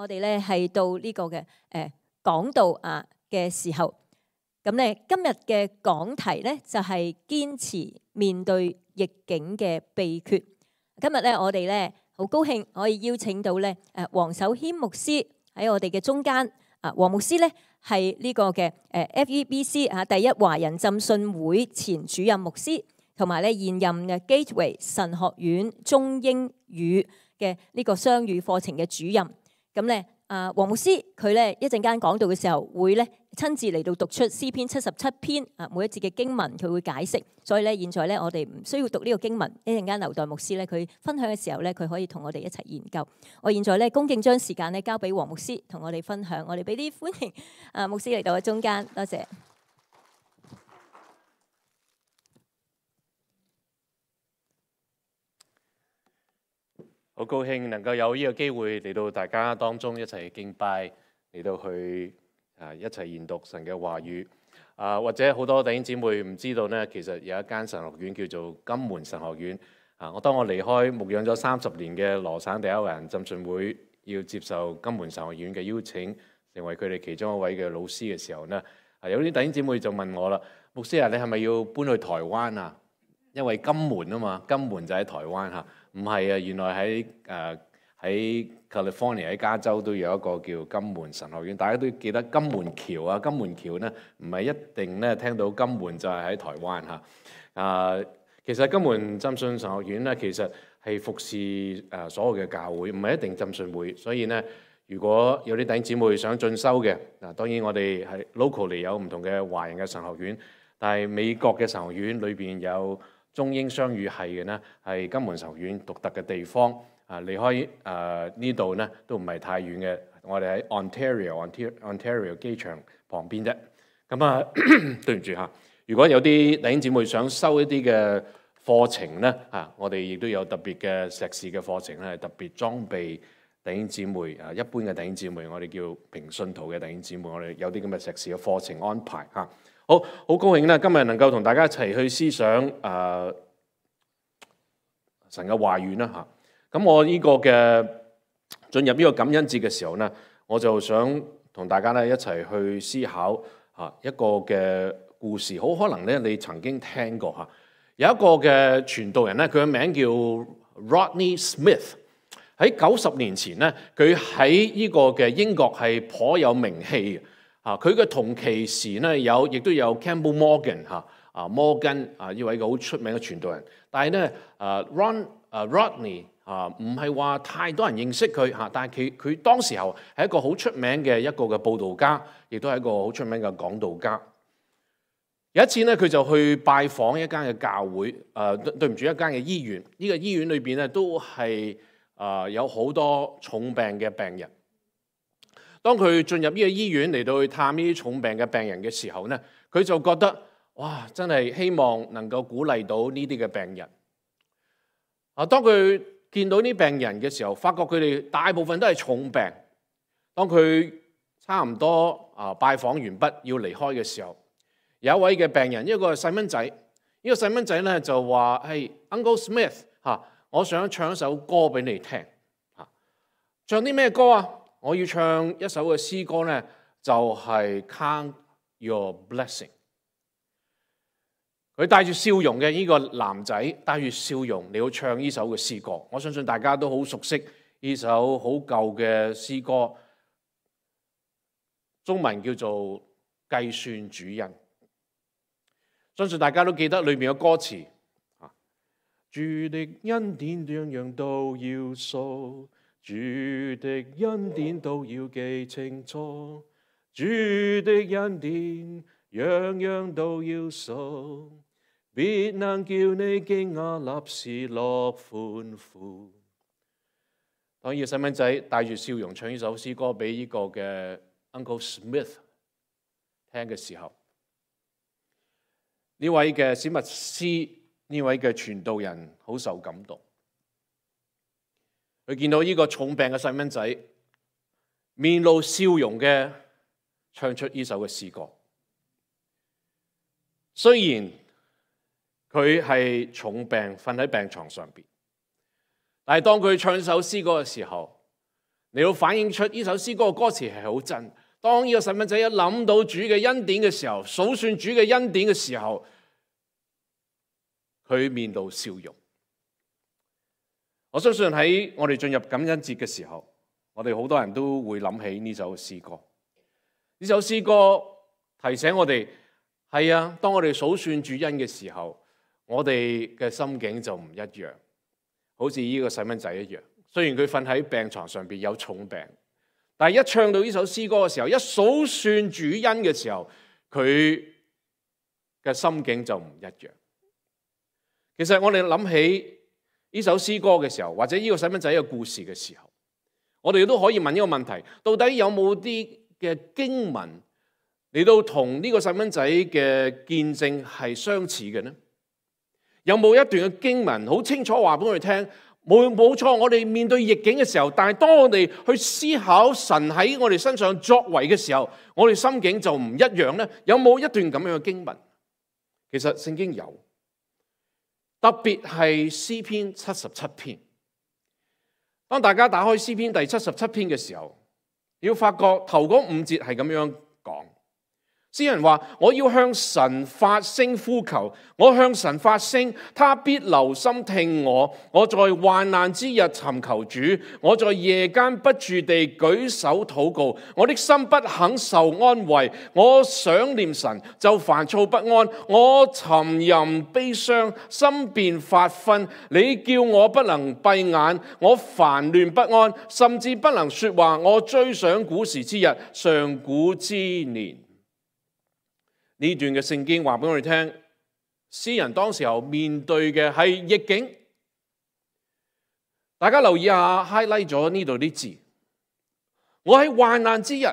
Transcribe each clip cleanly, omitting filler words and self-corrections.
我哋咧係到呢個嘅講道啊嘅時候，咁咧今日嘅講題咧就係堅持面對逆境嘅秘訣。今日咧我哋咧好高興可以邀請到咧黃守謙牧師喺我哋嘅中間。黃牧師咧係呢個嘅FEBC 啊第一華人浸信會前主任牧師，同埋咧現任嘅 Gateway 神學院中英語嘅呢個雙語課程嘅主任。咁咧黃牧師佢咧一陣間講道嘅時候會咧親自嚟到讀出詩篇77篇每一節嘅經文，佢會解釋。所以咧現在咧我哋唔需要讀呢個經文，一陣間留待牧師咧佢分享嘅時候咧佢可以同我哋一齊研究。我現在咧恭敬將時間咧交俾黃牧師同我哋分享。我哋俾啲歡迎牧師嚟到我中間，多謝。好高興能夠有呢個機會嚟到大家當中一齊敬拜，嚟到去一齊研讀神嘅話語。或者好多弟兄姊妹唔知道呢，其實有一間神學院叫做金門神學院。當我離開牧養咗30年嘅羅省第一華人浸信會，要接受金門神學院嘅邀請，成為佢哋其中一位嘅老師嘅時候呢，有啲弟兄姊妹就問我啦：牧師啊，你係咪要搬去台灣啊？因為金門啊嘛，金門就喺台灣嚇。唔係啊，原來喺 California 喺加州都有一個叫金門神學院。大家都記得金門橋啊，金門橋呢唔係一定咧聽到金門就係喺台灣嚇。其實金門浸信神學院咧，其實係服侍所有嘅教會，唔係一定浸信會。所以呢，如果有啲弟兄姊妹想進修嘅，當然我哋係 locally 有唔同嘅華人嘅神學院，但係美國嘅神學院裏邊有中英雙語系嘅呢，係金門神學院獨特嘅地方。離開呢度呢都唔係太遠嘅，我哋喺 Ontario 機場旁邊啫。咁對唔住嚇，如果有啲弟兄姊妹想修一啲嘅課程呢，我哋亦都有特別嘅碩士嘅課程咧，係特別裝備弟兄姊妹一般嘅弟兄姊妹，我哋叫平信徒嘅弟兄姊妹，我哋有啲咁嘅碩士嘅課程安排嚇。好高興咧，今日能夠同大家一齊去思想神嘅話語啦嚇。咁我呢個嘅進入呢個感恩節嘅時候呢，我就想同大家咧一齊去思考一個嘅故事。好可能咧你曾經聽過嚇，有一個嘅傳道人咧，佢嘅名叫 Rodney Smith。喺90年前咧，佢喺呢個嘅英國係頗有名氣嘅。佢嘅同期時咧亦都有 Campbell Morgan 摩根呢位好出名嘅傳道人。但係咧Rodney 唔係話太多人認識佢嚇，但係佢當時候係一個好出名嘅一個嘅佈道家，亦都係一個好出名嘅講道家。有一次咧，佢就去拜訪一間嘅教會，對唔住，一間嘅醫院。呢個醫院裏邊咧都係有好多重病嘅病人。當佢進入呢個醫院嚟到去探呢啲重病嘅病人嘅時候咧，佢就覺得哇，真係希望能夠鼓勵到呢啲嘅病人。當佢見到呢病人嘅時候，發覺佢哋大部分都係重病。當佢差唔多拜訪完畢要離開嘅時候，有一位嘅病人，一個細蚊仔，呢個細蚊仔咧就話：係 Uncle Smith 我想唱一首歌俾你聽。唱啲咩歌啊？我要唱一首嘅詩歌咧，就係 Count Your Blessing。佢帶住笑容嘅呢個男仔，帶住笑容你要唱呢首嘅詩歌。我相信大家都好熟悉呢首好舊嘅詩歌，中文叫做計算主恩。相信大家都記得裏面嘅歌詞。主的恩典樣樣都要數，主的恩典都要記清楚，主的恩典樣樣都要數，必能叫你驚訝立時樂歡呼。當呢個細蚊仔帶住笑容唱呢首詩歌俾呢個嘅 Uncle Smith 聽嘅時候，呢位嘅史密斯，呢位嘅傳道人好受感動。佢見到呢個重病嘅細蚊仔面露笑容嘅唱出呢首嘅詩歌，雖然佢係重病瞓喺病床上邊，但係當佢唱首詩歌嘅時候，嚟到反映出呢首詩歌嘅歌詞係好真。當呢個細蚊仔一諗到主嘅恩典嘅時候，數算主嘅恩典嘅時候，佢面露笑容。我相信喺我哋進入感恩節嘅時候，我哋好多人都會諗起呢首詩歌。呢首詩歌提醒我哋，係啊，當我哋數算主恩嘅時候，我哋嘅心境就唔一樣。好似呢個細蚊仔一樣，雖然佢瞓喺病床上邊有重病，但係一唱到呢首詩歌嘅時候，一數算主恩嘅時候，佢嘅心境就唔一樣。其實我哋諗起呢首詩歌嘅時候，或者呢個細蚊仔嘅故事嘅時候，我哋都可以問一個問題：到底有冇啲嘅經文嚟到同呢個細蚊仔嘅見證係相似嘅呢？有冇一段嘅經文好清楚話俾我哋聽？冇錯，我哋面對逆境嘅時候，但係當我哋去思考神喺我哋身上作為嘅時候，我哋心境就唔一樣呢？有冇一段咁樣嘅經文？其實聖經有，特別係詩篇77篇。當大家打開詩篇第77篇嘅時候，你要發覺頭嗰5節係咁樣講。詩人話：我要向神發聲呼求，我向神發聲，他必留心聽我。我在患難之日尋求主，我在夜間不住地舉手禱告。我的心不肯受安慰，我想念神就煩躁不安，我沉吟悲傷，心便發昏。你叫我不能閉眼，我煩亂不安，甚至不能說話。我追想古時之日，上古之年。呢段嘅聖經話俾我哋聽，詩人當時候面對嘅係逆境。大家留意下 highlight 咗呢度啲字。我喺患難之日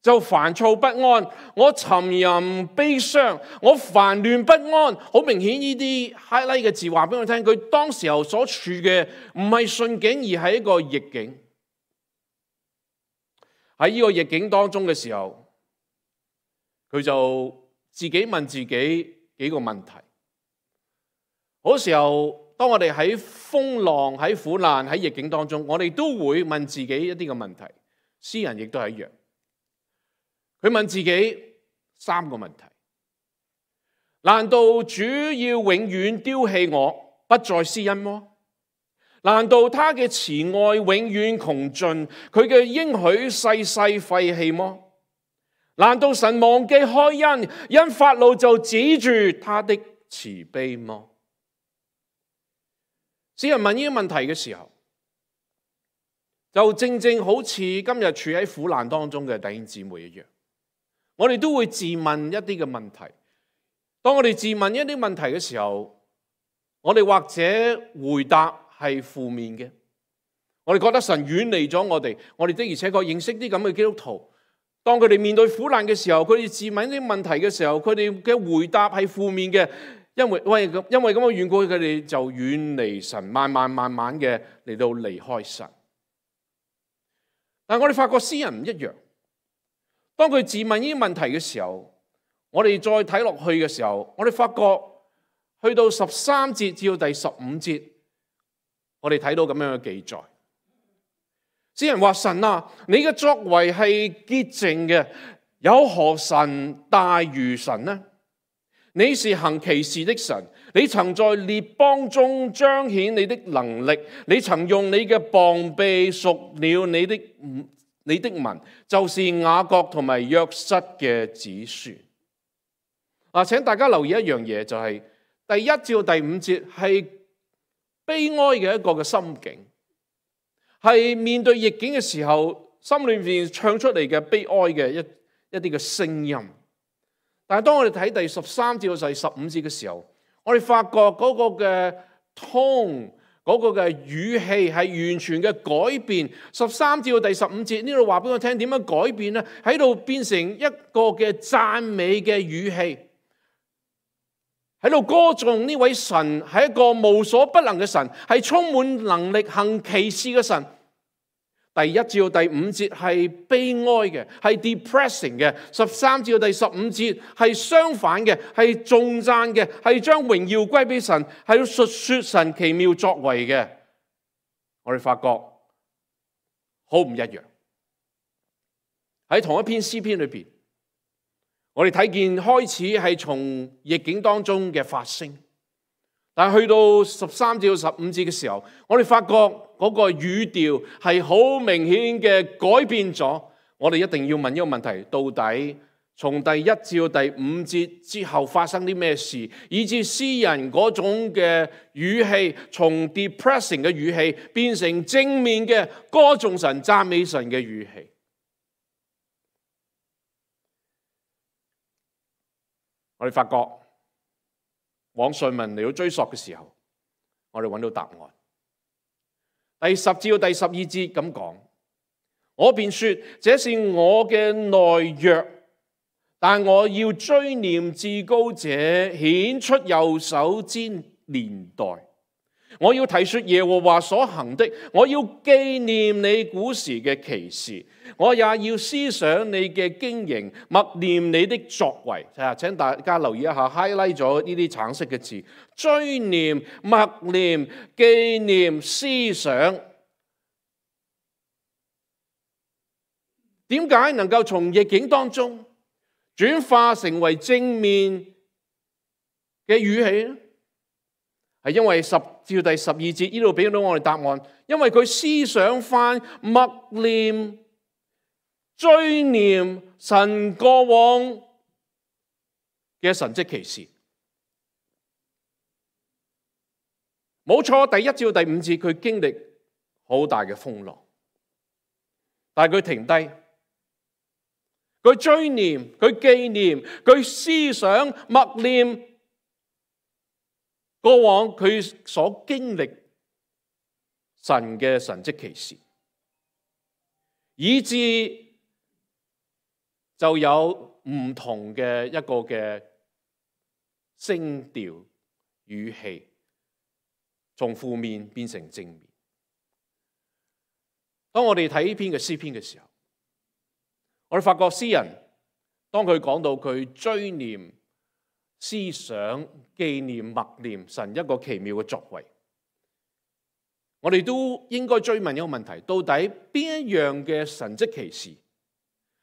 就煩躁不安，我沉吟悲傷，我煩亂不安。好明顯呢啲 highlight 嘅字話俾我聽，佢當時候所處嘅唔係順境，而係一個逆境。喺呢個逆境當中嘅時候，佢就自己問自己幾個問題。嗰時候，當我哋喺風浪、喺苦難、喺逆境當中，我哋都會問自己一啲嘅問題。詩人亦都係一樣，佢問自己3個問題：難道主要永遠丟棄我，不再施恩麼？難道他嘅慈愛永遠窮盡，佢嘅應許世世廢棄麼？難道神忘記開恩，因發怒就止住他的慈悲麼？詩人問呢啲問題嘅時候，就正正好似今日處喺苦難當中嘅弟兄姊妹一樣，我哋都會自問一啲嘅問題。當我哋自問一啲問題嘅時候，我哋或者回答係負面嘅，我哋覺得神遠離咗我哋。我哋的而且確認識啲咁嘅基督徒，當佢哋面對苦難嘅時候，佢哋自問啲問題嘅時候，佢哋嘅回答係負面嘅，因為咁嘅緣故，佢哋就遠離神，慢慢嘅嚟到離開神。但係我哋發覺詩人唔一樣，當佢自問呢啲問題嘅時候，我哋再睇落去嘅時候，我哋發覺去到13節至到第15節，我哋睇到咁樣嘅記載。詩人話：神啊，你嘅作為係潔淨嘅，有何神大如神呢？你是行奇事的神，你曾在列邦中彰顯你的能力，你曾用你嘅膀臂贖了你的民，就是雅各同埋約瑟嘅子孫。請大家留意一樣嘢，就係第1至到第5節係悲哀嘅一個嘅心境。係面對逆境嘅時候，心裏面唱出嚟嘅悲哀嘅一啲嘅聲音。但係當我哋睇第13至到第15節嘅時候，我哋發覺嗰個嘅 tone，嗰個嘅語氣係完全嘅改變。13至到第15節呢度話俾我聽點樣改變呢？喺度變成一個嘅讚美嘅語氣，喺度歌頌呢位神係一個無所不能嘅神，係充滿能力行奇事嘅神。第1至到第5節係悲哀嘅，係 depressing 嘅。13至到第15節係相反嘅，係頌讚嘅，係將榮耀歸俾神，係要述說神奇妙作為嘅。我哋發覺好唔一樣。喺同一篇詩篇裏邊，我哋睇見開始係從逆境當中嘅發聲，但係去到13至15節嘅時候，我哋發覺嗰個語調係好明顯嘅改變咗。我哋一定要問一個問題：到底從第1至到第5節之後發生啲咩事，以致詩人嗰種嘅語氣從 depressing 嘅語氣變成正面嘅歌頌神、讚美神嘅語氣？我哋發覺往上文嚟到追溯嘅時候，我哋揾到答案。第10至到第12節咁講：我便說，這是我嘅懦弱，但我要追念至高者顯出右手之年代。我要提說耶和華所行的，我要紀念你古時嘅奇事，我也要思想你嘅經營，默念你的作為。請大家留意一下 highlight 咗呢啲橙色嘅字：追念、默念、紀念、思想。點解能夠從逆境當中轉化成為正面嘅語氣呢？係因為10至第12節呢度俾到我哋答案，因為佢思想翻、默念、追念神過往嘅神蹟奇事。冇錯，第1至第5節佢經歷好大嘅風浪，但係佢停低，佢追念、佢紀念、佢思想、默念過往佢所經歷神嘅神蹟奇事，以致就有唔同嘅一個嘅聲調語氣，從負面變成正面。當我哋睇呢篇嘅詩篇嘅時候，我哋發覺詩人當佢講到佢追念、思想、紀念、默念神一個奇妙嘅作為，我哋都應該追問一個問題：到底邊一樣嘅神蹟奇事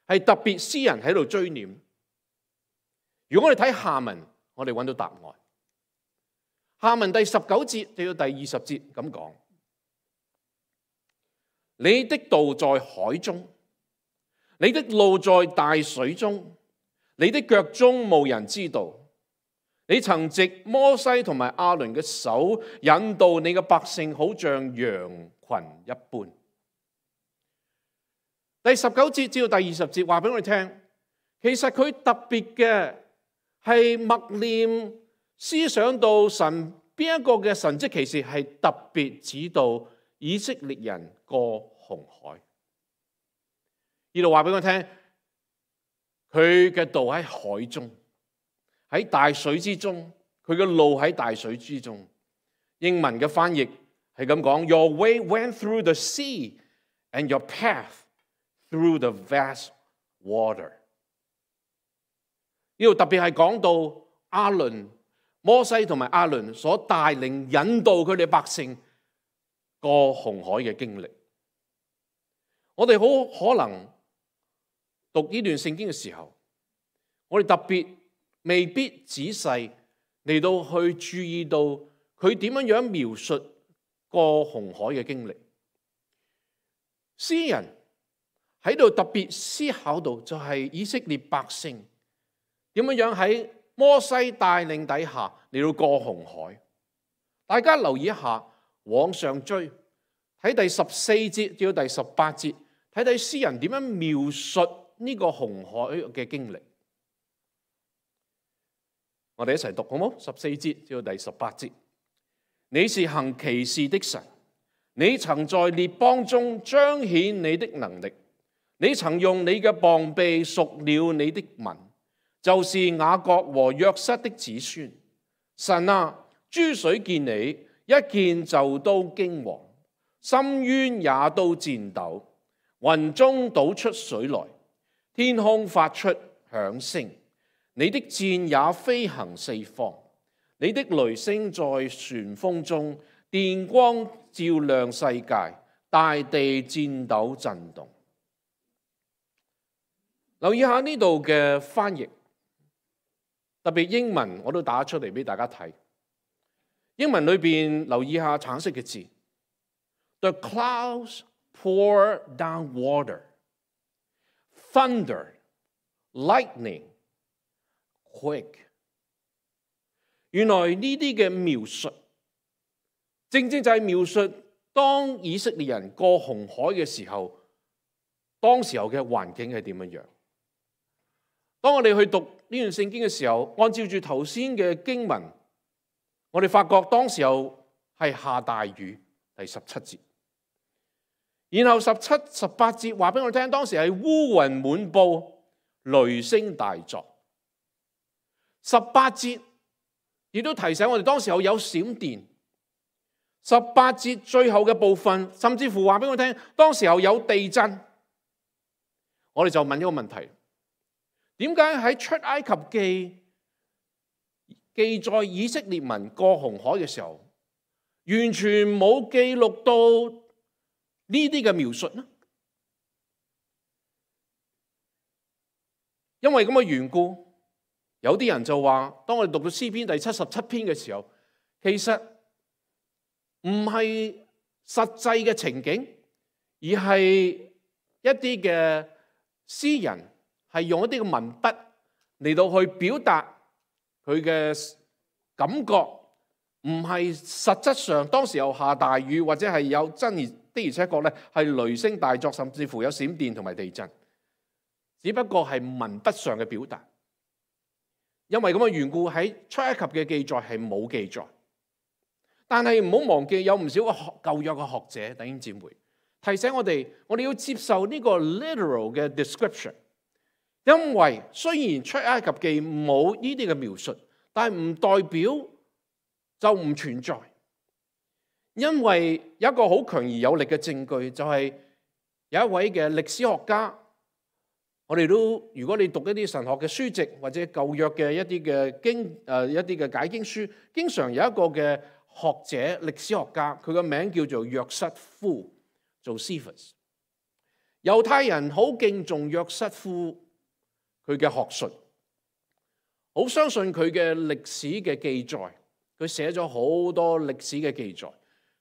係特別詩人喺度追念？如果我哋睇下文，我哋揾到答案。下文第19節至到第20節咁講：你的道在海中，你的路在大水中，你的腳蹤無人知道。你曾藉摩西同埋亞倫嘅手引導你嘅百姓，好像羊群一般。第19節至到第20節話俾我哋聽，其實佢特別嘅係默念、思想到神邊一個嘅神蹟奇事係特別指導以色列人過紅海。呢度話俾我聽，佢嘅道喺海中，喺大水之中，佢嘅路喺大水之中。英文嘅翻譯係咁講 ：Your way went through the sea, and your path through the vast water。呢度特別係講到亞倫、摩西同埋亞倫所帶領引導佢哋百姓過紅海嘅經歷。我哋好可能讀呢段聖經嘅時候，我哋特別未必仔細嚟到去注意到佢點樣描述過紅海嘅經歷。詩人喺度特別思考到就係以色列百姓點樣喺摩西帶領底下嚟到過紅海。大家留意一下，往上追睇第14節至到第18節，睇睇詩人點樣描述呢個紅海嘅經歷。我哋一齊讀好冇？14節至到第18節，你是行奇事的神，你曾在列邦中彰顯你的能力，你曾用你嘅膀臂贖了你的民，就是雅各和約瑟的子孫。神啊，諸水見你，一見就都驚惶，深淵也都顫抖，雲中倒出水來，天空發出響聲。你的箭也飛行四方，你的雷聲在旋風中，電光照亮世界，大地戰抖震動。留意下呢度嘅翻譯，特別英文我都打出嚟俾大家睇。英文裏邊留意下橙色嘅字 ，The clouds pour down water, thunder, lightning, quake。原來呢啲嘅描述，正正就係描述當以色列人過紅海嘅時候，當時候嘅環境係點樣樣。當我哋去讀呢段聖經嘅時候，按照住頭先嘅經文，我哋發覺當時候係下大雨，第17節。然後17、18節話俾我聽，當時係烏雲滿布，雷聲大作。18節亦都提醒我哋，當時候有閃電。18節最後嘅部分，甚至乎話俾我聽，當時候有地震。我哋就問一個問題。點解喺出埃及記記載以色列民過紅海嘅時候，完全冇記錄到呢啲嘅描述呢？因為咁嘅緣故，有啲人就話，當我哋讀到詩篇第77篇嘅時候，其實唔係實際嘅情景，而係一啲嘅詩人係用一啲嘅文筆嚟到去表達佢嘅感覺，唔係實質上當時有下大雨，或者係有真的而且確咧係雷聲大作，甚至乎有閃電同埋地震，只不過係文筆上嘅表達。因為咁嘅緣故，喺出埃及嘅記載係冇記載。但係唔好忘記，有唔少個舊約嘅學者弟兄姊妹提醒我哋，我哋要接受呢個 literal 嘅 description。因為雖然出埃及記冇呢啲嘅描述，但係唔代表就唔存在。因為有一個好強而有力嘅證據，就係有一位嘅歷史學家，我哋都如果你讀一啲神學嘅書籍或者舊約嘅一啲嘅一啲嘅解經書，經常有一個嘅學者歷史學家，佢個名叫做約瑟夫Josephus。猶太人好敬重約瑟夫佢嘅學術，好相信佢嘅歷史嘅記載，佢寫咗好多歷史嘅記載。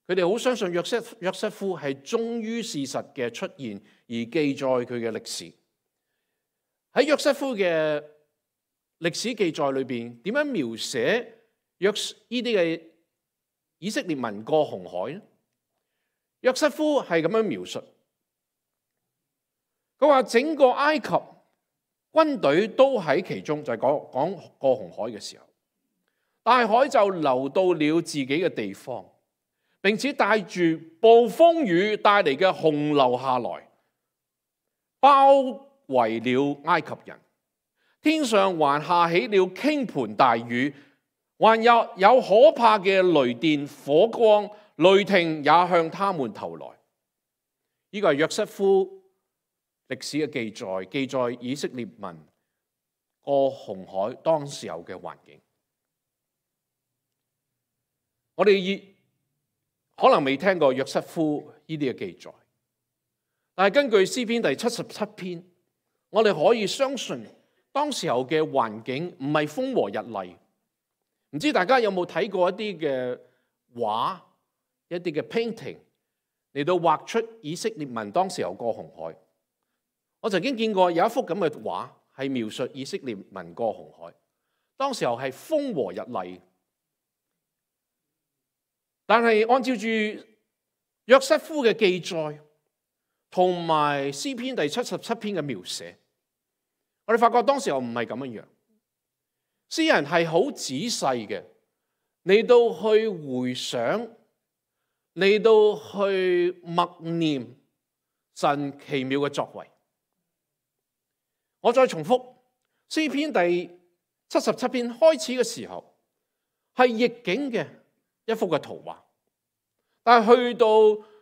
佢哋好相信約瑟夫係忠於事實嘅出現而記載佢嘅歷史。喺約瑟夫嘅歷史記載裏邊，點樣描寫呢啲嘅以色列民過紅海呢？約瑟夫係咁樣描述，佢話整個埃及軍隊都喺其中，就係講過紅海嘅時候，大海就流到了自己嘅地方，並且帶住暴風雨帶嚟嘅洪流下來，包圍了埃及人。天上還下起了傾盆大雨，還有可怕嘅雷電、火光、雷霆也向他們投來。呢個係約瑟夫歷史嘅記載以色列民過紅海當時候嘅環境。我哋可能未聽過約瑟夫呢啲嘅記載，但係根據詩篇第77篇，我哋可以相信當時候嘅環境唔係風和日麗。唔知大家有冇睇過一啲嘅畫，一啲嘅 painting 嚟到畫出以色列民當時候過紅海？我曾經見過有一幅咁嘅畫，係描述以色列民過紅海，當時候係風和日麗。但係按照住約瑟夫嘅記載同埋詩篇第77篇嘅描寫，我哋發覺當時候唔係咁樣樣。詩人係好仔細嘅嚟到去回想，嚟到去默念神奇妙嘅作為。我再重複，詩篇第77篇開始嘅時候係逆境嘅一幅嘅圖畫，但係去到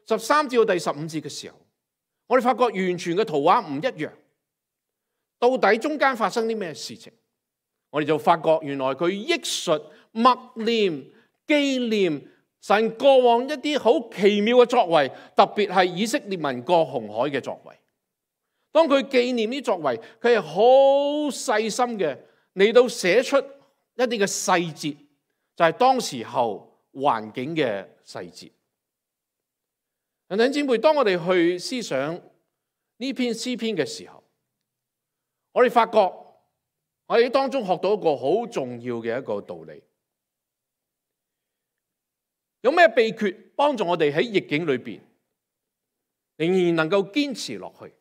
13至到第15節嘅時候，我哋發覺完全嘅圖畫唔一樣。到底中間發生啲咩事情？我哋就發覺原來佢憶述、默念、紀念神過往一啲好奇妙嘅作為，特別係以色列民過紅海嘅作為。當佢紀念呢作為，佢係好細心嘅嚟到寫出一啲嘅細節，就係當時候環境嘅細節。弟兄姊妹，當我哋去思想呢篇詩篇嘅時候，我哋發覺我哋當中學到一個好重要嘅一個道理。有咩秘訣幫助我哋喺逆境裏邊仍然能夠堅持落去？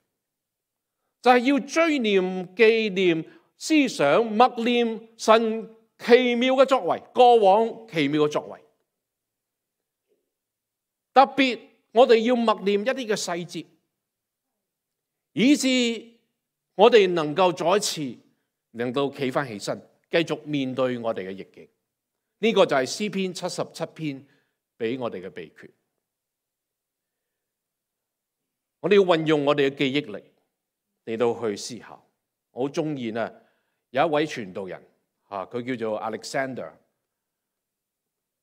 就係要追念、紀念、思想、默念神奇妙嘅作為，過往奇妙嘅作為。特別我哋要默念一啲嘅細節，以致我哋能夠再一次能夠企翻起身，繼續面對我哋嘅逆境。呢個就係詩篇77篇俾我哋嘅秘訣。我哋要運用我哋嘅記憶力嚟到去思考。我好中意啊，有一位傳道人佢叫做 Alexander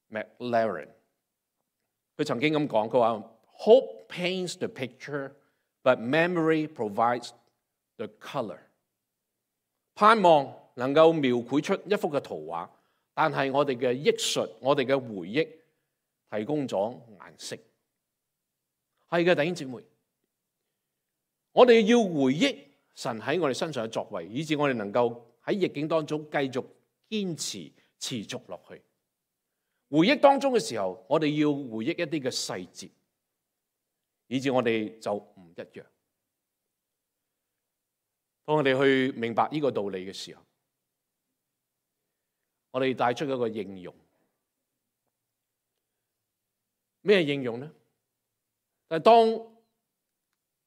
McLaren， 佢曾經咁講，佢話 Hope paints the picture, but memory provides the color。 盼望能夠描繪出一幅嘅圖畫，但係我哋嘅憶述、我哋嘅回憶提供咗顏色。係嘅，弟兄姊妹，我哋要回憶神喺我哋身上嘅作為，以致我哋能夠喺逆境當中繼續堅持持續落去。回憶當中嘅時候，我哋要回憶一啲嘅細節，以致我哋就唔一樣。當我哋去明白呢個道理嘅時候，我哋帶出一個應用。咩應用呢？但係當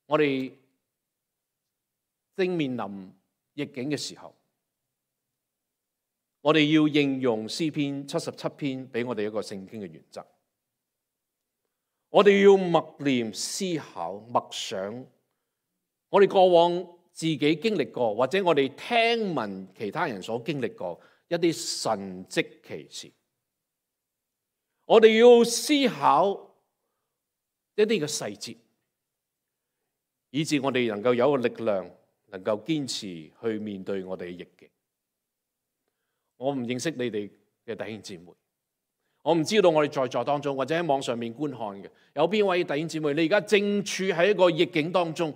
我哋正面臨逆境嘅時候，我哋要應用詩篇77篇俾我哋一個聖經嘅原則。我哋要默念、思考、默想，我哋過往自己經歷過，或者我哋聽聞其他人所經歷過一啲神蹟奇事。我哋要思考一啲嘅細節，以致我哋能夠有一個力量，能夠堅持去面對我哋嘅逆境。我唔認識你哋嘅弟兄姊妹，我唔知道我哋在座當中或者喺網上面觀看嘅有邊位弟兄姊妹，你而家正處喺一個逆境當中。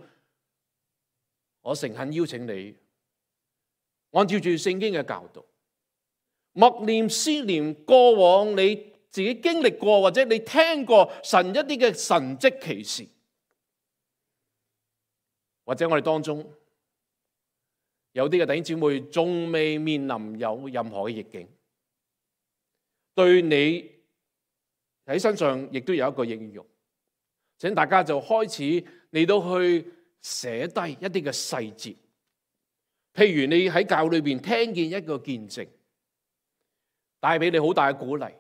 我誠懇邀請你，按照住聖經嘅教導，默念思念過往你自己經歷過或者你聽過神一啲嘅神蹟奇事，或者我哋當中有啲嘅弟兄姊妹仲未面臨有任何嘅逆境，對你喺身上亦都有一個應用，請大家就開始嚟到去寫低一啲嘅細節，譬如你喺教會裏邊聽見一個見證，帶俾你好大嘅鼓勵，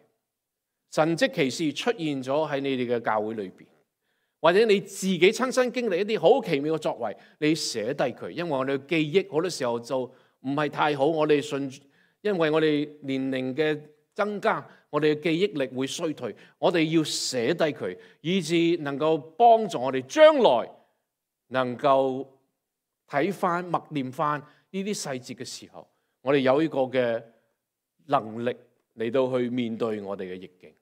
神蹟奇事出現咗喺你哋嘅教會裏邊，或者你自己親身經歷一啲好奇妙嘅作為，你寫低佢，因為我哋嘅記憶好多時候就唔係太好，我哋因為我哋年齡嘅增加，我哋嘅記憶力會衰退，我哋要寫低佢，以致能夠幫助我哋將來能夠睇翻、默念翻呢啲細節嘅時候，我哋有呢個嘅能力嚟到去面對我哋嘅逆境。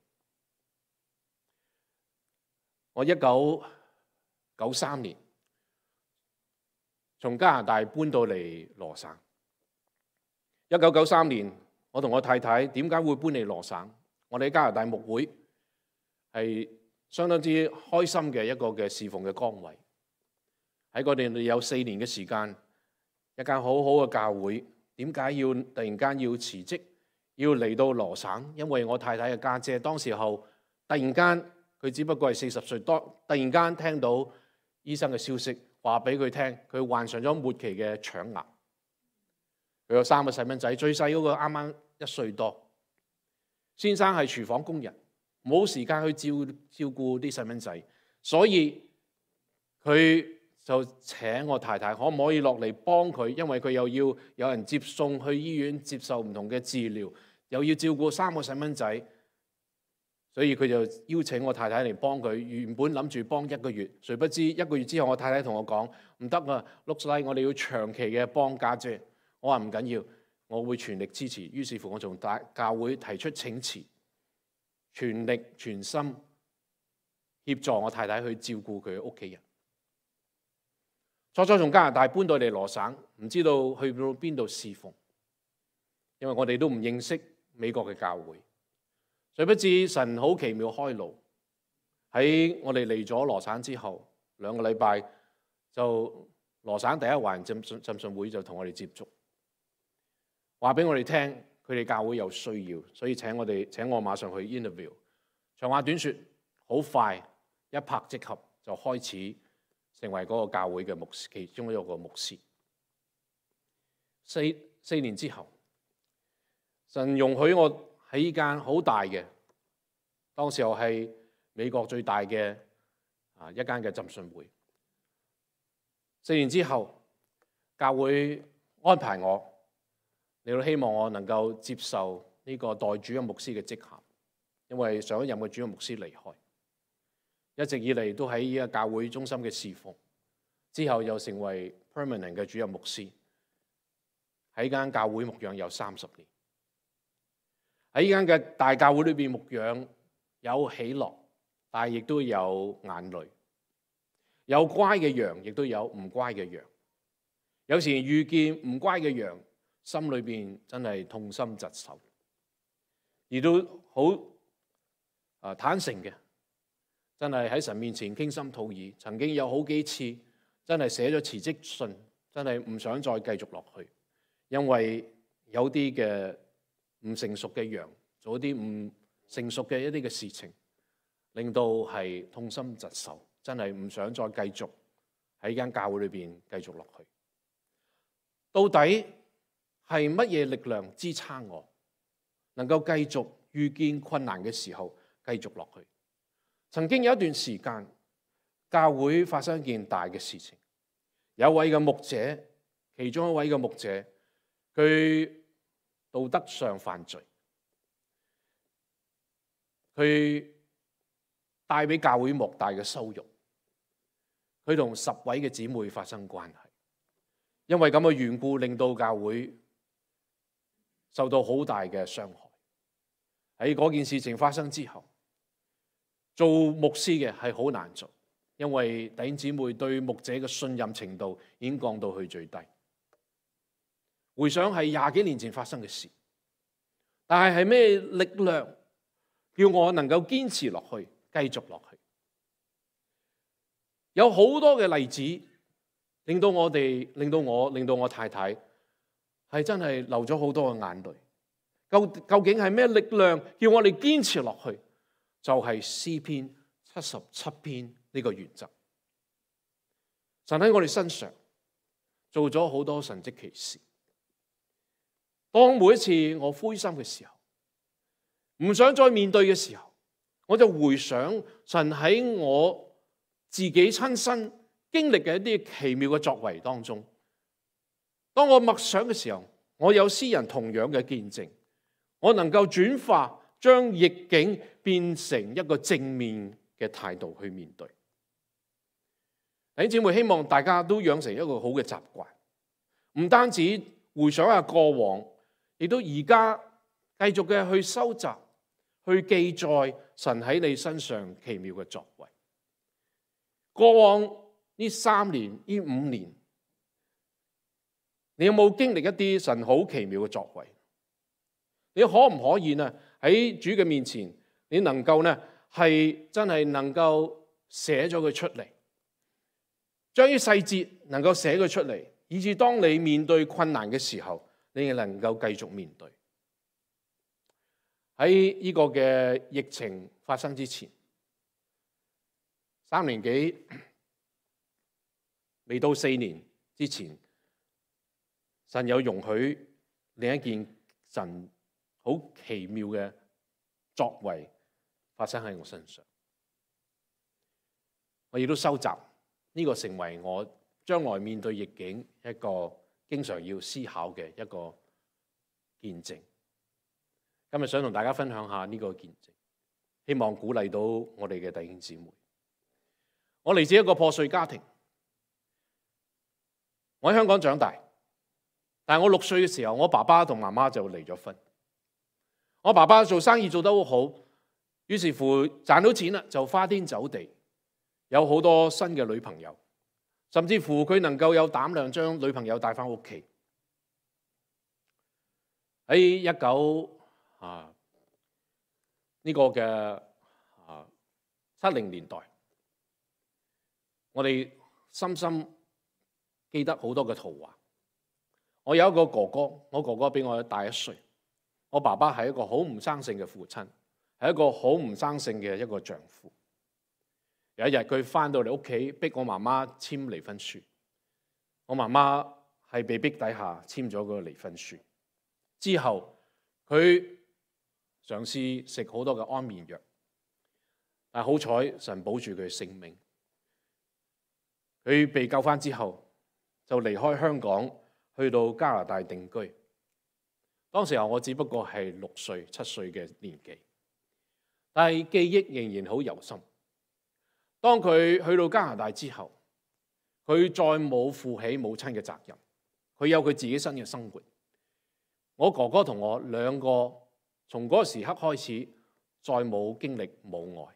我1993年從加拿大搬到嚟羅省。1993年，我同我太太點解會搬嚟羅省？我哋喺加拿大牧會係相當之開心嘅一個嘅侍奉嘅崗位。喺嗰度有4年嘅時間，一間好好嘅教會，點解要突然間要辭職，要嚟到羅省？因為我太太嘅家姐當時候突然間，佢只不過係40歲多，突然間聽到醫生嘅消息，話俾佢聽，佢患上咗末期嘅腸癌。佢有3個細蚊仔，最細嗰個啱啱1歲多。先生係廚房工人，冇時間去照顧啲細蚊仔，所以佢就請我太太可唔可以落嚟幫佢，因為佢又要有人接送去醫院接受唔同嘅治療，又要照顧3個細蚊仔。所以佢就邀請我太太嚟幫佢。原本諗住幫1個月，誰不知1個月之後，我太太同我講唔得啊 ，looks like 我哋要長期嘅幫家姐。我話唔緊要，我會全力支持。於是乎，我從教會提出請辭，全力全心協助我太太去照顧佢嘅屋企人。初初從加拿大搬到嚟羅省，唔知道去到邊度侍奉，因為我哋都唔認識美國嘅教會。誰不知神好奇妙開路，喺我哋嚟咗羅省之後2個禮拜，就羅省第一環浸信會就同我哋接觸，話俾我哋聽佢哋教會有需要，所以請我馬上去 interview。長話短說，好快一拍即合，就開始成為嗰個教會嘅牧師，其中一個牧師。四年之後，神容許我喺呢間好大嘅，當時候係美國最大嘅一間嘅浸信會。4年之後，教會安排我，你都希望我能夠接受呢個代主任牧師嘅職銜，因為上一任嘅主任牧師離開，一直以嚟都喺呢個教會中心嘅侍奉，之後又成為 permanent 嘅主任牧師，喺間教會牧養有30年。喺呢間嘅大教會裏邊牧養有喜樂，但係亦都有眼淚，有乖嘅羊，亦都有唔乖嘅羊。有時遇見唔乖嘅羊，心裏邊真係痛心疾首，而都好坦誠嘅，真係喺神面前傾心吐意。曾經有好幾次真係寫咗辭職信，真係唔想再繼續落去，因為有啲嘅唔成熟嘅羊做一啲唔成熟嘅一啲嘅事情，令到係痛心疾首，真係唔想再繼續喺間教會裏邊繼續落去。到底係乜嘢力量支撐我，能夠繼續遇見困難嘅時候繼續落去？曾經有一段時間，教會發生一件大嘅事情，有一位嘅牧者，其中一位嘅牧者，佢道德上犯罪，佢帶俾教會莫大嘅羞辱，佢同10位嘅姊妹發生關係，因為咁嘅緣故，令到教會受到好大嘅傷害。喺嗰件事情發生之後，做牧師嘅係好難做，因為弟兄姊妹對牧者嘅信任程度已經降到去最低。回想係20幾年前發生嘅事，但係咩力量叫我能夠堅持落去，繼續落去？有好多嘅例子，令到我太太係真係流咗好多嘅眼淚。究竟係咩力量叫我哋堅持落去？就係詩篇77篇呢個原則。神喺我哋身上做咗好多神蹟奇事。當每一次我灰心嘅時候，唔想再面對嘅時候，我就回想神喺我自己親身經歷嘅一啲奇妙嘅作為當中。當我默想嘅時候，我有詩人同樣嘅見證，我能夠轉化，將逆境變成一個正面嘅態度去面對。弟兄姊妹，希望大家都養成一個好嘅習慣，唔單止回想下過往，亦都而家繼續嘅去收集、去記載神喺你身上奇妙嘅作為。過往呢3年、呢5年，你有冇經歷一啲神好奇妙嘅作為？你可唔可以呢喺主嘅面前，你能夠呢係真係能夠寫咗佢出嚟，將啲細節能夠寫佢出嚟，以致當你面對困難嘅時候，你能夠繼續面對。喺呢個嘅疫情發生之前，3年幾未到4年之前，神有容許另一件神好奇妙嘅作為發生喺我身上，我亦都收集呢個成為我將來面對逆境一個經常要思考嘅一個見證。今日想同大家分享下呢個見證，希望鼓勵到我哋嘅弟兄姊妹。我嚟自一個破碎家庭，我喺香港長大，但係我6歲嘅時候，我爸爸同媽媽就離咗婚。我爸爸做生意做得好好，於是乎賺到錢啦，就花天酒地，有好多新嘅女朋友，甚至乎佢能夠有膽量將女朋友帶返屋企。喺70年代，我哋深深記得好多嘅圖畫。我有一個哥哥，我哥哥比我大1歲。我爸爸係一個好唔生性嘅父親，係一個好唔生性嘅一個丈夫。有一日佢返到嚟屋企，逼我媽媽簽離婚書。我媽媽係被逼底下簽咗個離婚書。之後佢嘗試食好多嘅安眠藥，但好彩神保住佢嘅性命。佢被救返之後，就離開香港去到加拿大定居。當時候我只不過係6歲、7歲嘅年紀，但係記憶仍然好猶深。當佢去到加拿大之後，佢再冇負起母親嘅責任，佢有佢自己新嘅生活。我哥哥同我兩個從嗰個時刻開始，再冇經歷母愛。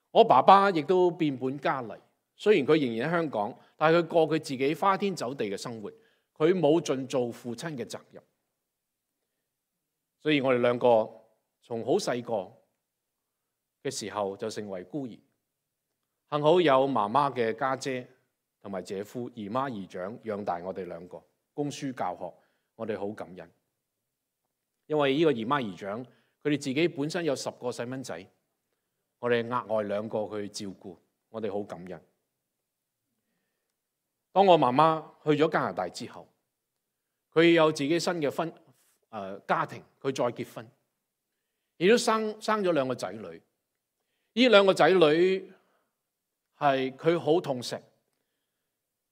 我爸爸亦都變本加厲，雖然佢仍然喺香港，但係佢過佢自己花天酒地嘅生活，佢冇盡做父親嘅責任。所以我哋兩個從好細個嘅時候就成為孤兒。幸好有媽媽嘅家姐同埋姐夫、姨媽姨丈養大我哋兩個，供書教學。我哋好感恩，因為呢個姨媽姨丈佢哋自己本身有10個細蚊仔，我哋額外2個去照顧，我哋好感恩。當我媽媽去咗加拿大之後，佢有自己新嘅家庭，佢再結婚，亦都生咗2個仔女。呢2個仔女係佢好痛錫，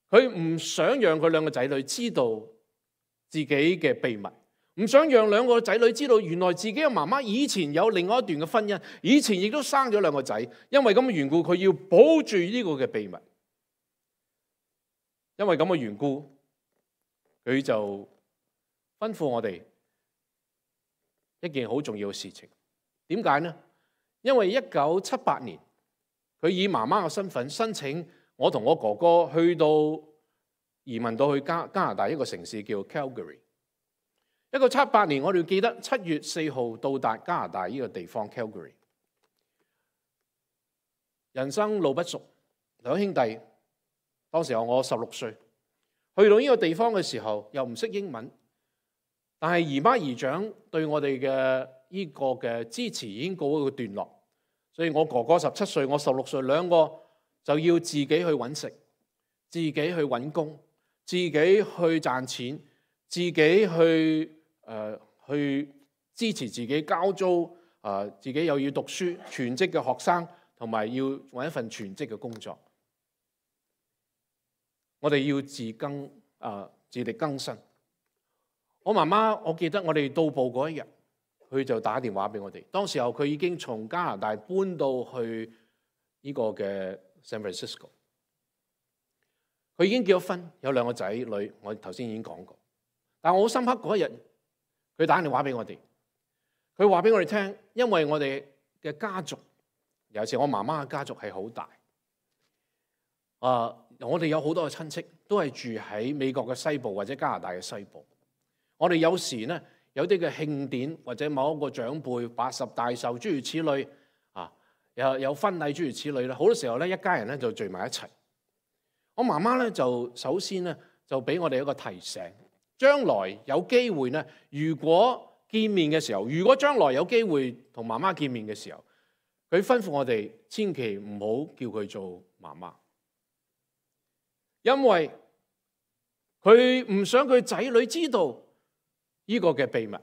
佢唔想讓佢2個仔女知道自己嘅秘密，唔想讓2個仔女知道原來自己嘅媽媽以前有另外一段嘅婚姻，以前亦都生咗2個仔。因為咁嘅緣故，佢要保住呢個嘅秘密。因為咁嘅緣故，佢就吩咐我哋一件好重要嘅事情。點解呢？因為1978年，佢以媽媽嘅身份申請我同我哥哥去到移民到去加拿大一個城市叫 Calgary。1978年，我哋記得7月4號到達加拿大呢個地方 Calgary。人生路不熟，兩兄弟當時候我16歲，去到呢個地方嘅時候又唔識英文，但係姨媽姨丈對我哋嘅呢個嘅支持已經告一個段落，所以我哥哥17歲，我16歲，兩個就要自己去揾食，自己去揾工，自己去賺錢，自己去支持自己交租，自己又要讀書，全職嘅學生，同埋要揾一份全職嘅工作。我哋要自力更生。我媽媽，我記得我哋到埗嗰一日，佢就打電話俾我哋。當時候佢已經從加拿大搬到去呢個嘅 San Francisco。佢已經結咗婚，有2個仔女，我頭先已經講過。但我好深刻嗰一日，佢打電話俾我哋，佢話俾我哋聽，因為我哋嘅家族，尤其是我媽媽嘅家族係好大。我哋有好多嘅親戚都係住喺美國嘅西部或者加拿大嘅西部。我哋有時呢，有啲嘅慶典或者某一個長輩80大壽諸如此類，有婚禮諸如此類啦。好多時候咧，一家人咧就聚埋一齊。我媽媽咧就首先咧就俾我哋一個提醒，將來有機會咧，如果見面嘅時候，如果將來有機會同媽媽見面嘅時候，佢吩咐我哋千祈唔好叫佢做媽媽，因為佢唔想佢仔女知道呢個嘅秘密。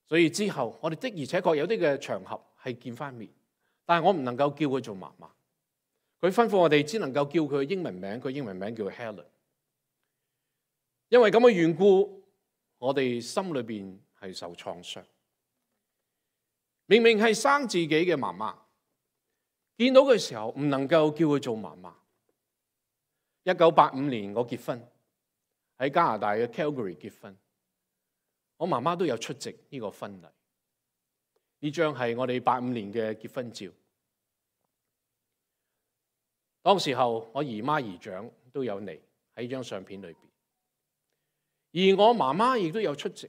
所以之後我哋的而且確有啲嘅場合係見翻面，但係我唔能夠叫佢做媽媽。佢吩咐我哋只能夠叫佢英文名，佢英文名叫 Helen。因為咁嘅緣故，我哋心裏邊係受創傷。明明係生自己嘅媽媽，見到嘅時候唔能夠叫佢做媽媽。1985年我結婚，喺加拿大嘅 Calgary 結婚，我媽媽都有出席呢個婚禮。呢張係我哋85年嘅結婚照。當時候我姨媽姨丈都有嚟喺張相片裏邊，而我媽媽亦都有出席。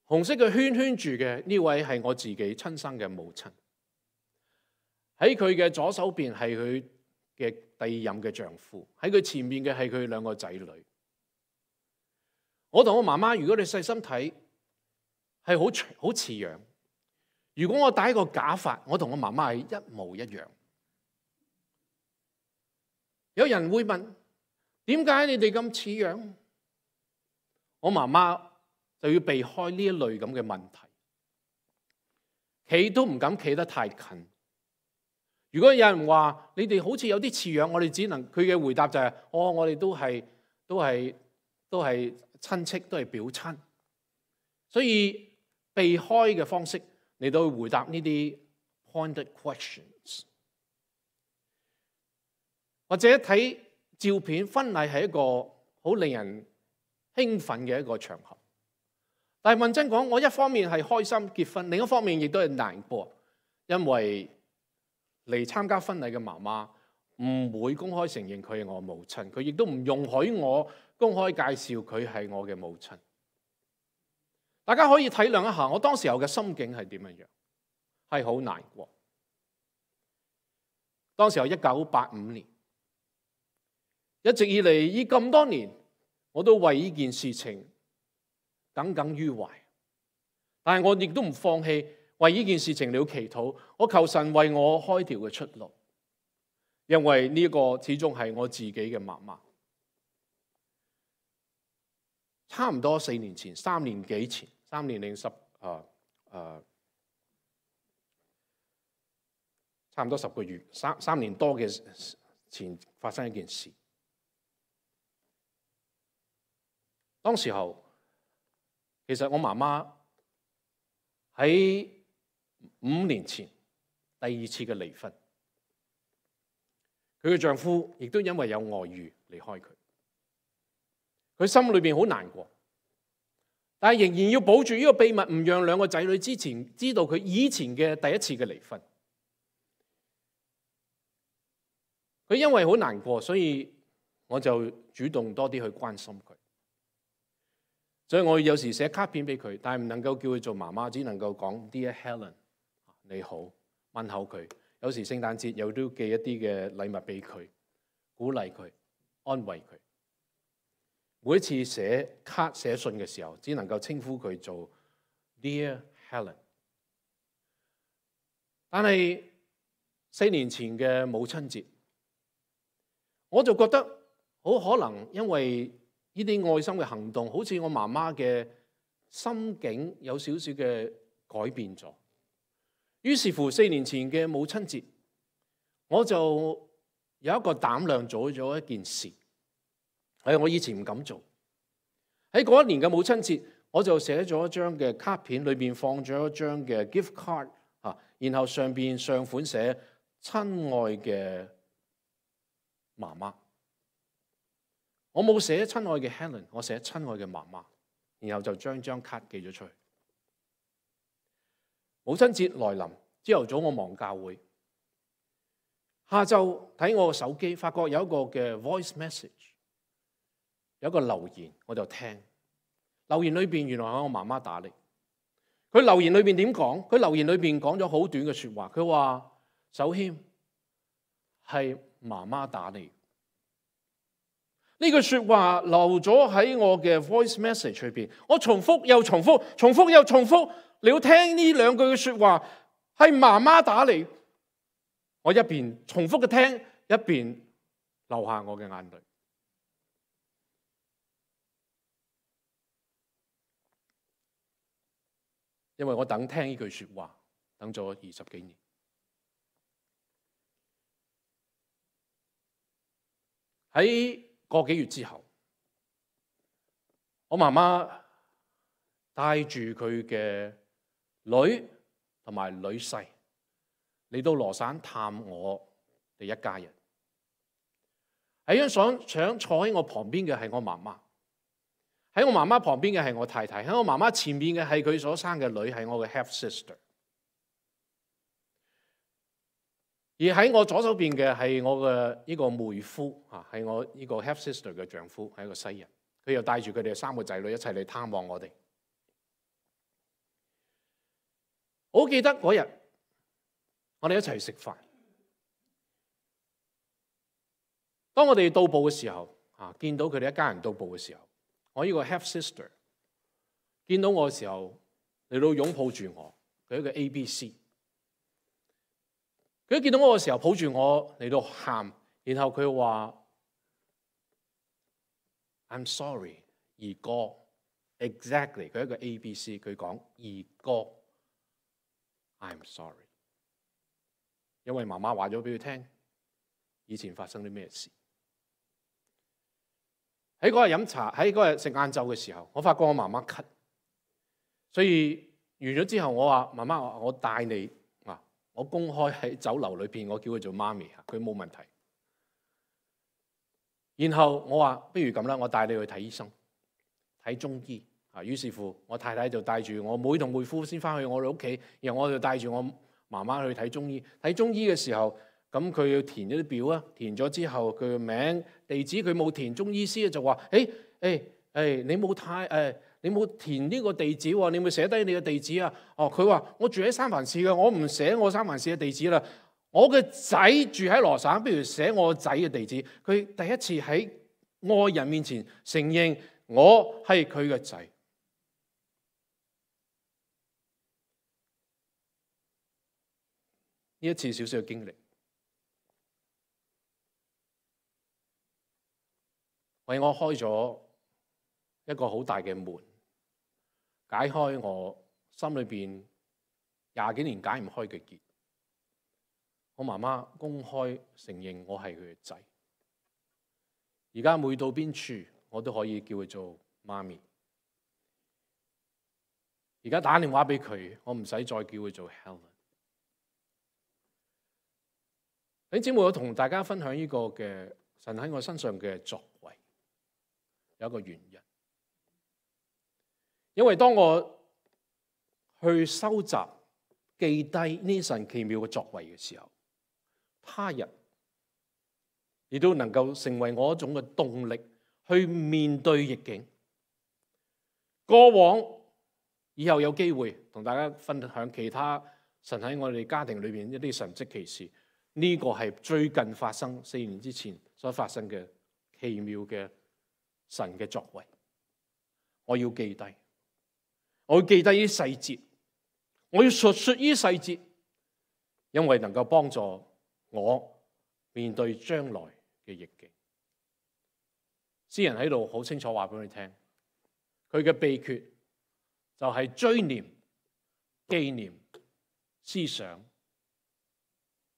紅色嘅圈圈住嘅呢位係我自己親生嘅母親。喺佢嘅左手邊係佢嘅第二任嘅丈夫，喺佢前面嘅係佢兩個仔女。我同我媽媽，如果你細心睇，係好似樣。如果我戴一個假髮，我同我媽媽係一模一樣。有人會問：點解你哋咁似樣？我媽媽就要避開呢一類咁嘅問題，企都唔敢企得太近。如果有人話你哋好似有啲似樣，我哋只能佢嘅回答就係：我哋都係親戚，都係表親，所以避開嘅方式嚟到回答呢啲 pointed questions。或者睇照片，婚禮係一個好令人興奮嘅一個場合。但係問真講，我一方面係開心結婚，另一方面亦都係難過，因為嚟參加婚禮嘅媽媽唔會公開承認佢係我母親，佢亦都唔容許我公開介紹佢係我嘅母親。大家可以體諒一下，我當時候嘅心境係點樣，係好難過。當時候1985年。一直以嚟，呢咁多年，我都為呢件事情耿耿於懷。但係我亦都唔放棄為呢件事情嚟祈禱，我求神為我開條嘅出路。因為呢個始終係我自己嘅媽媽。差唔多4年前，3年幾前，3年零10差唔多10個月，3年多嘅前發生一件事。當時候，其實我媽媽喺5年前第2次嘅離婚，佢嘅丈夫亦都因為有外遇離開佢，佢心裏邊好難過，但係仍然要保住呢個秘密，唔讓兩個仔女之前知道佢以前嘅第1次嘅離婚。佢因為好難過，所以我就主動多啲去關心佢。所以我有時寫卡片俾佢，但係唔能夠叫佢做媽媽，只能夠講 Dear Helen， 你好，問候佢。有時聖誕節又都寄一啲嘅禮物俾佢，鼓勵佢，安慰佢。每一次寫卡寫信嘅時候，只能夠稱呼佢做 Dear Helen。但係4年前嘅母親節，我就覺得好可能因為呢啲愛心嘅行動，好似我媽媽嘅心境有少少嘅改變咗。於是乎4年前嘅母親節，我就有一個膽量做咗一件事，係我以前唔敢做。喺嗰1年嘅母親節，我就寫咗一張嘅卡片，裏邊放咗一張嘅 gift card，然後上款寫親愛嘅媽媽。我冇寫親愛嘅 Helen， 我寫親愛嘅媽媽，然後就將張卡寄咗出去。母親節來臨，朝頭早我忙教會，下晝睇我個手機，發覺有一個嘅 voice message， 有一個留言，我就聽。留言裏邊原來係我媽媽打嚟。佢留言裏邊點講？佢留言裏邊講咗好短嘅說話，佢話：守謙，係媽媽打嚟。呢句說話留咗喺我嘅 voice message 裏邊，我重複又重複，重複又重複。你要聽呢2句嘅說話，係媽媽打嚟。我一邊重複嘅聽，一邊流下我嘅眼淚。因為我等聽呢句說話，等咗20幾年。喺個幾月之後，我媽媽帶住佢嘅女同埋女婿嚟到羅省探我哋一家人。喺張相坐喺我旁邊嘅係我媽媽，喺我媽媽旁邊嘅係我太太，喺我媽媽前面嘅係佢所生嘅女，係我嘅 half sister。而喺我左手邊嘅係我嘅呢個妹夫啊，係我呢個 half sister 嘅丈夫，係一個西人。佢又帶住佢哋3個仔女一齊嚟探望我哋。我好記得嗰日，我哋一齊食飯。當我哋到埗嘅時候，見到佢哋一家人到埗嘅時候，我呢個 half sister 見到我嘅時候嚟到擁抱住我，佢一個 ABC。佢一見到我嘅時候抱住我嚟到喊，然後佢話 I'm sorry， 二哥 ，exactly 佢一個 ABC， 佢講二哥 I'm sorry， 因為媽媽話咗俾佢聽以前發生啲咩事。喺嗰日飲茶，喺嗰日食晏晝嘅時候，我發覺我媽媽咳，所以完咗之後，我話媽媽，我帶你啊，我公開喺酒樓裏邊，我叫佢做媽咪，佢冇問題。然後我話不如咁啦，我帶你去睇醫生，睇中醫啊。於是乎，我太太就帶住我妹同妹夫先翻去我哋屋企，然後我就帶住我媽媽去睇中醫。睇中醫嘅時候，咁佢要填咗啲表啊，填咗之後佢嘅名地址佢冇填，中醫師就話：你冇填呢個地址喎，你咪寫低你嘅地址啊？哦，佢話我住喺三藩市嘅，我唔寫我三藩市嘅地址啦。我嘅仔住喺羅省，不如寫我仔嘅地址。佢第一次喺愛人面前承認我係佢嘅仔。呢一次少少嘅經歷，為我開咗一個好大嘅門，解開我心裏邊20幾年解唔開嘅結。我媽媽公開承認我係佢嘅仔，而家每到邊處我都可以叫佢做媽咪。而家打電話俾佢，我唔使再叫佢做 Helen。弟兄姊妹，我同大家分享呢個嘅神喺我身上嘅作為，有一個原因，因為當我去收集記低呢神奇妙嘅作為嘅時候，他日亦都能夠成為我一種嘅動力去面對逆境。過往以後有機會同大家分享其他神喺我哋家庭裏邊一啲神蹟奇事，呢個係最近發生4年之前所發生嘅奇妙嘅神嘅作為。我要記低，我要記低呢啲細節，我要述說呢啲細節，因為能夠幫助我面對將來嘅逆境。詩人喺度好清楚話俾你聽，佢嘅秘訣就係追念、紀念、思想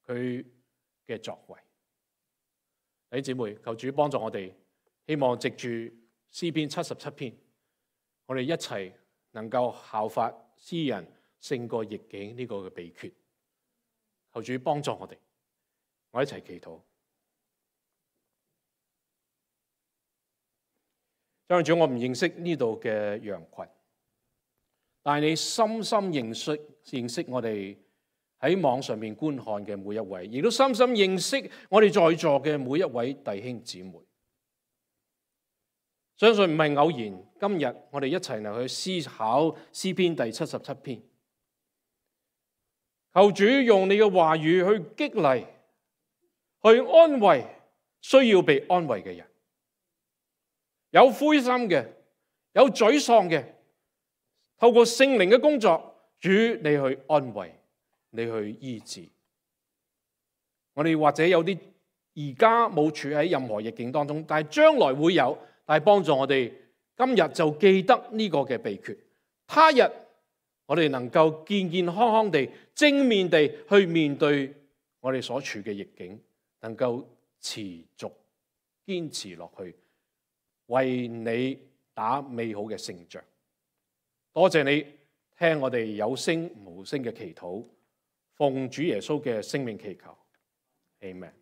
佢嘅作為。弟兄姊妹，求主幫助我哋，希望藉住詩篇77篇，我哋一齊能夠效法詩人勝過逆境呢個嘅秘訣。求主幫助我哋。我一齊祈禱。張主，我唔認識呢度嘅羊群，但係你深深認識我哋喺網上面觀看嘅每一位，亦都深深認識我哋在座嘅每一位弟兄姊妹。相信唔係偶然，今日我哋一齊嚟去思考詩篇第77篇。求主用你嘅話語去激勵，去安慰需要被安慰嘅人，有灰心嘅，有沮喪嘅，透過聖靈嘅工作，主你去安慰，你去醫治。我哋或者有啲而家冇處喺任何逆境當中，但係將來會有，但係幫助我哋今日就記得呢個嘅秘訣，他日我哋能夠健健康康地、正面地去面對我哋所處嘅逆境，能夠持續堅持落去，為你打美好嘅勝仗。多謝你聽我哋有聲無聲嘅祈禱，奉主耶穌嘅聖名祈求，Amen。